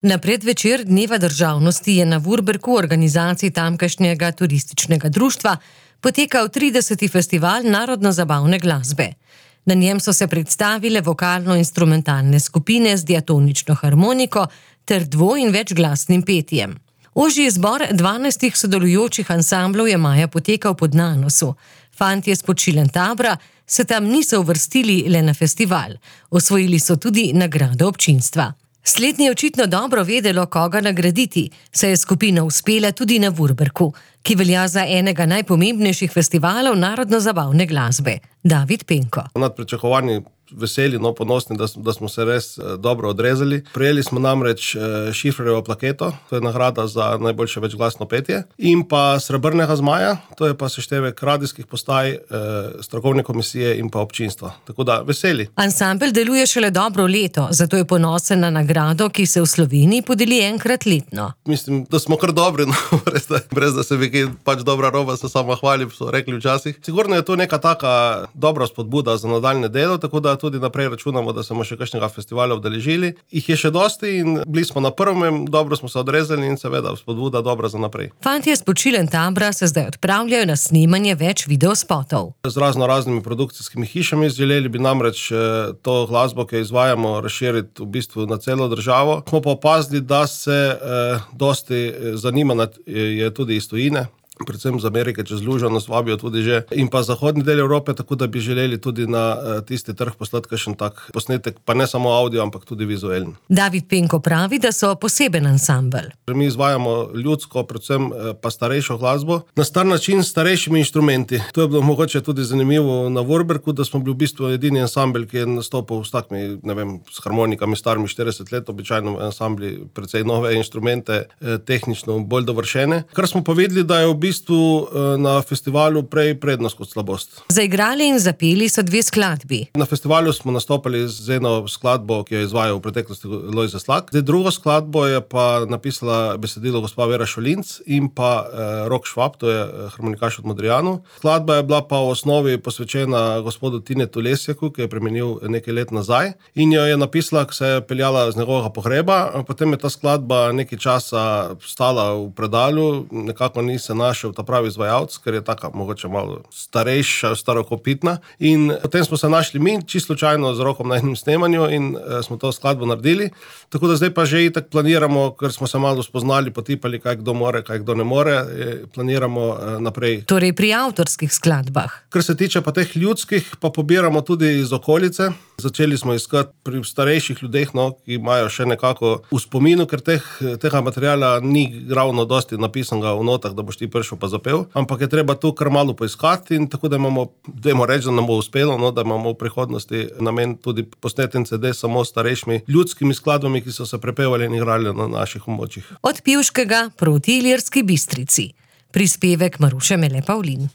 Na predvečer Dneva državnosti je na Vurberku, organizaciji tamkajšnjega turističnega društva, potekal 30. festival narodno-zabavne glasbe. Na njem so se predstavile vokalno-instrumentalne skupine z diatonično harmoniko ter dvo- in večglasnim petjem. Ožji izbor 12 sodelujočih ansamblov je maja potekal pod Nanosu. Fantje s Počilent-Tabra se tam niso uvrstili le na festival. Osvojili so tudi nagrado občinstva. Slednje je očitno dobro vedelo, koga nagraditi, saj je skupina uspela tudi na Vurberku, ki velja za enega najpomembnejših festivalov narodno-zabavne glasbe. David Penko. Nad pričakovanji veseli, ponosni, da smo se res dobro odrezali. Prejeli smo namreč Šifrerjevo plaketo, to je nagrada za najboljše večglasno petje, in pa Srebrnega zmaja, to je pa seštevek radijskih postaj, strokovne komisije in pa občinstva. Tako da veseli. Ansambel deluje šele dobro leto, zato je ponosen na nagrado, ki se v Sloveniji podeli enkrat letno. Mislim, da smo kar dobri, brez da se bi pač dobra roba, se sama hvalim, so rekli včasih. Sigurno je to neka taka dobra spodbuda za nadaljne delo, tako da tudi naprej računamo, da smo še kakšnega festivala udeležili. Jih je še dosti in bili smo na prvem, dobro smo se odrezali in seveda spodbuda dobra za naprej. Fantje s Počilent-Tabra se zdaj odpravljajo na snemanje več videospotov. Z raznimi produkcijskimi hišami želeli bi namreč to glasbo, ki jo izvajamo, razširiti v bistvu na celo državo. Smo pa opazili, da se dosti zanima je tudi iz tujine, predvsem z Amerike čez lužo nas vabijo tudi že, in pa zahodni del Evrope, tako da bi želeli tudi na tisti trg poslati kakšen tak posnetek, pa ne samo audio, ampak tudi vizualni. David Penko pravi, da so poseben ansambel. Mi izvajamo ljudsko, predvsem pa starejšo glasbo, na star način s starejšimi inštrumenti. To je bilo mogoče tudi zanimivo na Vurberku, da smo bili v bistvu edini ansambel, ki je nastopil s takimi, s harmonikami starimi 40 let, običajno ansambli precej nove inštrumente, tehnično bolj dovršene. Kar smo pa videli, da je v bistvu na festivalu prej prednost kot slabost. Zaigrali in zapeli so dve skladbi. Na festivalu smo nastopali z eno skladbo, ki jo je izvajal v preteklosti Lojze Slak. Drugo skladbo je pa napisala besedilo gospa Vera Šolinc in pa Rok Švab, to je harmonikaš od Modrijanu. Skladba je bila pa v osnovi posvečena gospodu Tinetu Lesjaku, ki je premenil nekaj let nazaj, in jo je napisala, ko se je peljala z njegovega pohreba. Potem je ta skladba nekaj časa stala v predalu, nekako ni se našel ta pravi izvajalec, ker je taka mogoče malo starejša, starokopitna, in potem smo se našli mi čisto slučajno z Rokom na enem snemanju in smo to skladbo naredili. Tako da zdaj pa že itak planiramo, ker smo se malo spoznali, potipali, kaj kdo more, kaj kdo ne more, planiramo naprej. Torej pri avtorskih skladbah. Kar se tiče pa teh ljudskih, pa pobiramo tudi iz okolice. Začeli smo iskati pri starejših ljudeh, ki imajo še nekako v spominu, ker tega materiala ni ravno dosti napisanega v notah, da boš ti prišel pa zapel, ampak je treba tu kar malo poiskati, in tako da dajmo reči, da nam bo uspelo, da imamo v prihodnosti namen tudi posneti en CD samo starejšimi ljudskimi skladbami, ki so se prepevali in igrali na naših območjih. Od Pivškega proti Ilirski Bistrici. Prispevek Maruše Mele Pavlin.